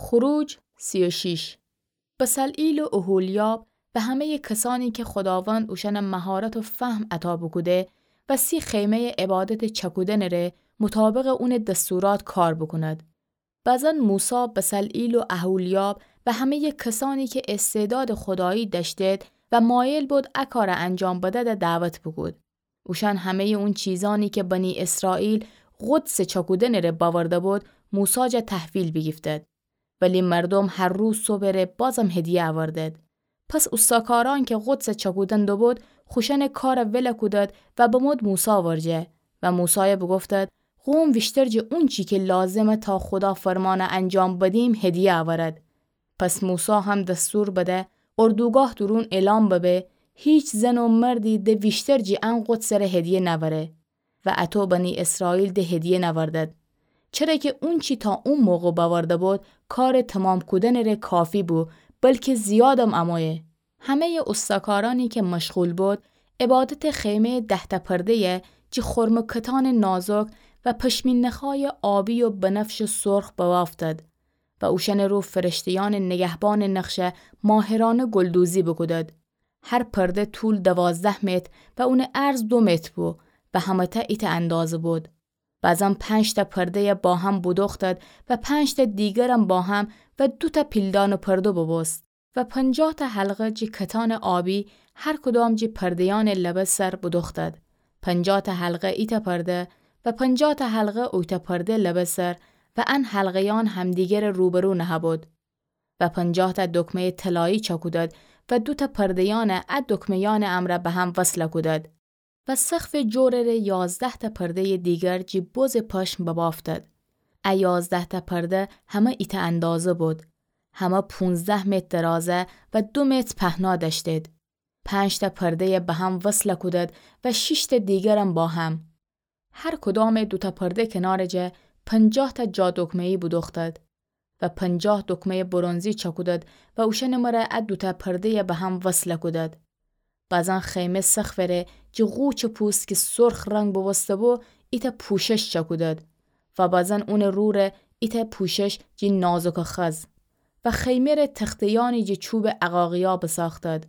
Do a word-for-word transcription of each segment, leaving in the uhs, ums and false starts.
خروج سی و شش. بصلعیل و اوحولیاب و همه‌یٚ کسأنی کی خوداوند اوشأن مهارت و فهم عطا بوکوده و سی خیمه‌یٚ عبادتٚ چکودنٚ ره مطابقٚ اونٚ دستورات کار بوکوند. بزن موسی بصلعیل و اوحولیاب و همه‌یٚ کسأنی کی استعدادٚ خودایی دأشتید و مایل بود ا کار انجام بدد دعوت بوکود. اوشأن همه‌یٚ اون چیزأنی کی بنی اسرائیل قدسٚ چکودنٚ ره بأورده بود، موسی جا تحویل بیگیفتید. ولی مردوم هر روز صبحٚ ره بازم هدیه اوردید. پس اوستاکارأن کی قدسٚ چکودن دوبود، خوشأنٚ کار ول کودید و بمود موسی ورجه و موسای بوگفتید: قوم ویشتر جٚه اونچی کی لازمه تا خودا فرمأن انجام بدیم، هدیه اورد. پس موسی هم دستور بده اردوگاه دورون اعلام ببه: هیچ زن و مردی د ویشتر جٚه ان قدسٚ ره هدیه نأوره. و اطو بنی اسرائیل د هدیه نأوردید. چره کی اونچی تا او موقع بأورده بود، کارٚ تومام کودنٚ ره کافی بو، بلکی زیادم امویه. همه‌یٚ اوستاکارأنی کی مشغول بود، عبادتٚ خیمه‌یٚ ده‌تأ پرده‌یه جٚه خرمٚ کتانٚ نازک و پشمین نخایٚ آبی و بنفشٚ سرخ ببافتید و اوشأنٚ رو فرشته‌یأنٚ نگهبانٚ نقشه ماهرأنه گلدوزی بوکودید. هر پرده طول دوازده متر و اونٚ عرض دو متر بو و همه‌تأ ایتأ اندازه بود. بزن پنج‌تأ پرده‌یه با هم بودوختید و پنج‌تأ دیگرم با هم و دوتأ پیلدانٚ پرده ببوست. و پنجاه‌تأ حلقه جٚه کتانٚ آبی هر کدام جٚه پرده‌یأنٚ لبه سر بودوختید. پنجاه‌تأ حلقه ایتأ پرده و پنجاه‌تأ حلقه اویتأ پرده لبه سر و ان حلقه‌یأن همدیگرٚ روبرو نهه‌بود. و پنجاه‌تأ دکمه‌یٚ طلایی چأکودید و دوتأ پرده‌یأن ا دکمه‌یأنٚ امرأ به هم وصل کودید. و سقفٚ جورٚ ره یازده‌تأ پرده‌یٚ دیگر جٚه بزٚ پشم ببافتید. ا یازده‌تأ پرده همه ایتأ اندازه بود. همه پونزده متر درازه و دو متر پهنا دأشتید. پنج‌تأ پرده‌یه به هم وصل کودید و شیش‌تأ دیگرم با هم. هر کدامٚ دوتأ پرده کنارٚ جا پنجاه‌تأ جا دکمه‌یی بودوختید و پنجاه دکمه‌یٚ برنزی چأکودید و اوشأنٚ مره ا دوتأ پرده‌یه به هم وصل کودید. بزن خیمه سقفٚ ره جٚه قوچٚ پوست کی سرخ رنگ بوبوسته‌بو، ایتأ پوشش چأکودید و بزن اونٚ رو ره ایتأ پوشش جٚه نازکٚ خز و خیمه ره تخته‌یأنی جٚه چوبٚ عقاقیا بساختید.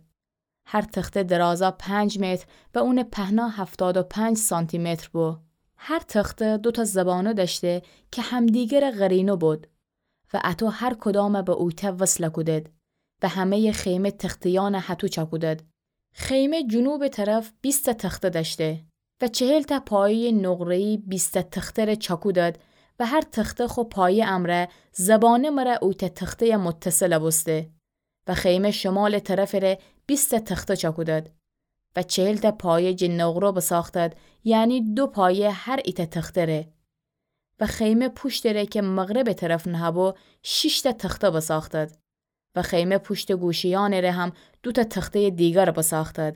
هر تخته درازا پنج متر و اونٚ پهنا هفتاد و پنج سانتی‌متر بو. هر تخته دوتأ زبانه دأشته کی همدیگرٚ قرینه بود و اطو هر کدامه به اویتأ وصل کودید و همه‌یٚ خیمه تخته‌یأنه هطو چأکودید. خیمه جنوبٚ طرف بیست‌تأ تخته دأشته و چهل‌تأ پایه‌یٚ نقره‌یی بیست‌تأ تخته ره چأکودید و هر تخته خو پایه امرأ زبانه مره اویتأ تخته‌یٚ متصل بوسته. و خیمه شمالٚ طرفٚ ره بیست‌تأ تخته چأکودید و چهل‌تأ پایه جٚه نقره بساختید، یعنی دو پایه هر ایتأ تخته ره. و خیمه پوشتٚ ره کی مغربٚ طرف نهه‌بو، شیش‌تأ تخته بساختید. و خیمه پوشتٚ گوشه‌یأنٚ ره هم دوتأ تخته‌یٚ دیگر بساختید.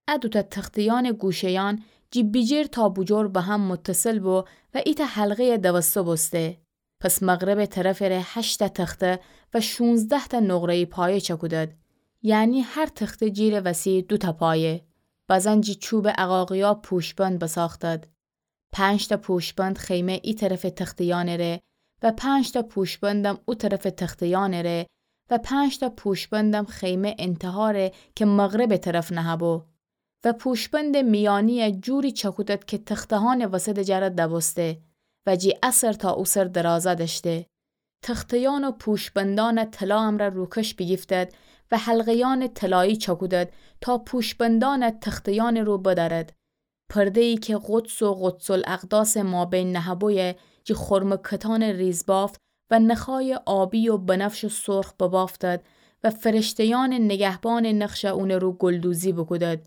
ا دوتأ تخته‌یأنٚ گوشه‌یأن جٚه بیجیر تا بوجور به هم متصل بو و ایتأ حلقه‌یٚ دوسته بوسته. پس مغربٚ طرفٚ ره هشت‌تأ تخته و شونزده‌تأ نقره‌یی پایه چأکودید. یعنی هر تخته جیرٚ وسی دوتأ پایه. بزن جٚه چوبٚ عقاقیا پوشبند بساختید. پنج‌تأ پوشبند خیمه ای طرفٚ تخته‌یأنٚ ره و پنج‌تأ پوشبندم او طرفٚ تخته‌یأنٚ ره و پنج‌تأ پوشبندم خیمه انتهاٚ ره کی مغربٚ طرف نهه‌بو. و پوشبندٚ میأنی‌یه جوری چأکودید کی تخته‌یأنٚ وسطٚ جا ره دبوسته و جٚه ا سر تا او سر درازا دأشته. تخته‌یأن و پوشبندأنه طلا امرأ روکش بیگیفتید و حلقه‌یأنٚ طلایی چأکودید تا پوشبندأنه تخته‌یأنٚ رو بدأرید. پرده‌یی کی قدس و قدس‌الاقداسٚ مابین نهه‌بویه جٚه خرمٚ کتانٚ ریزبافت و نخایٚ آبی و بنفشٚ سرخ ببافتید و فرشته‌یأنٚ نگهبانٚ نقشه اونٚ رو گلدوزی بوکودید.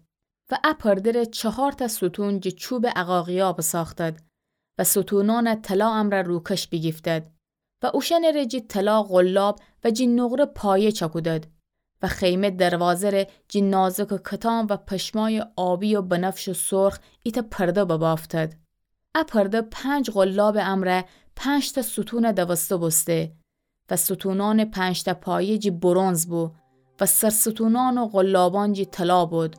و ا پرده ره چهارتأ ستون جٚه چوبٚ عقاقیا بساختید و ستونأنه طلا امرأ روکش بیگیفتید و اوشأنٚ ره جٚه طلا قلاب و جٚه نقره پایه چأکودید و خیمه دروازه ره جٚه نازکٚ کتان و پشمایٚ آبی و بنفشٚ سرخ ایتأ پرده ببافتید. ا پرده پنج قلابٚ امرأ پنج‌تأ ستون دوسته بوسته و ستونأنٚ پنج‌تأ پایه جٚه برنز بو و سرستونأن و قلابأن جٚه طلا بود.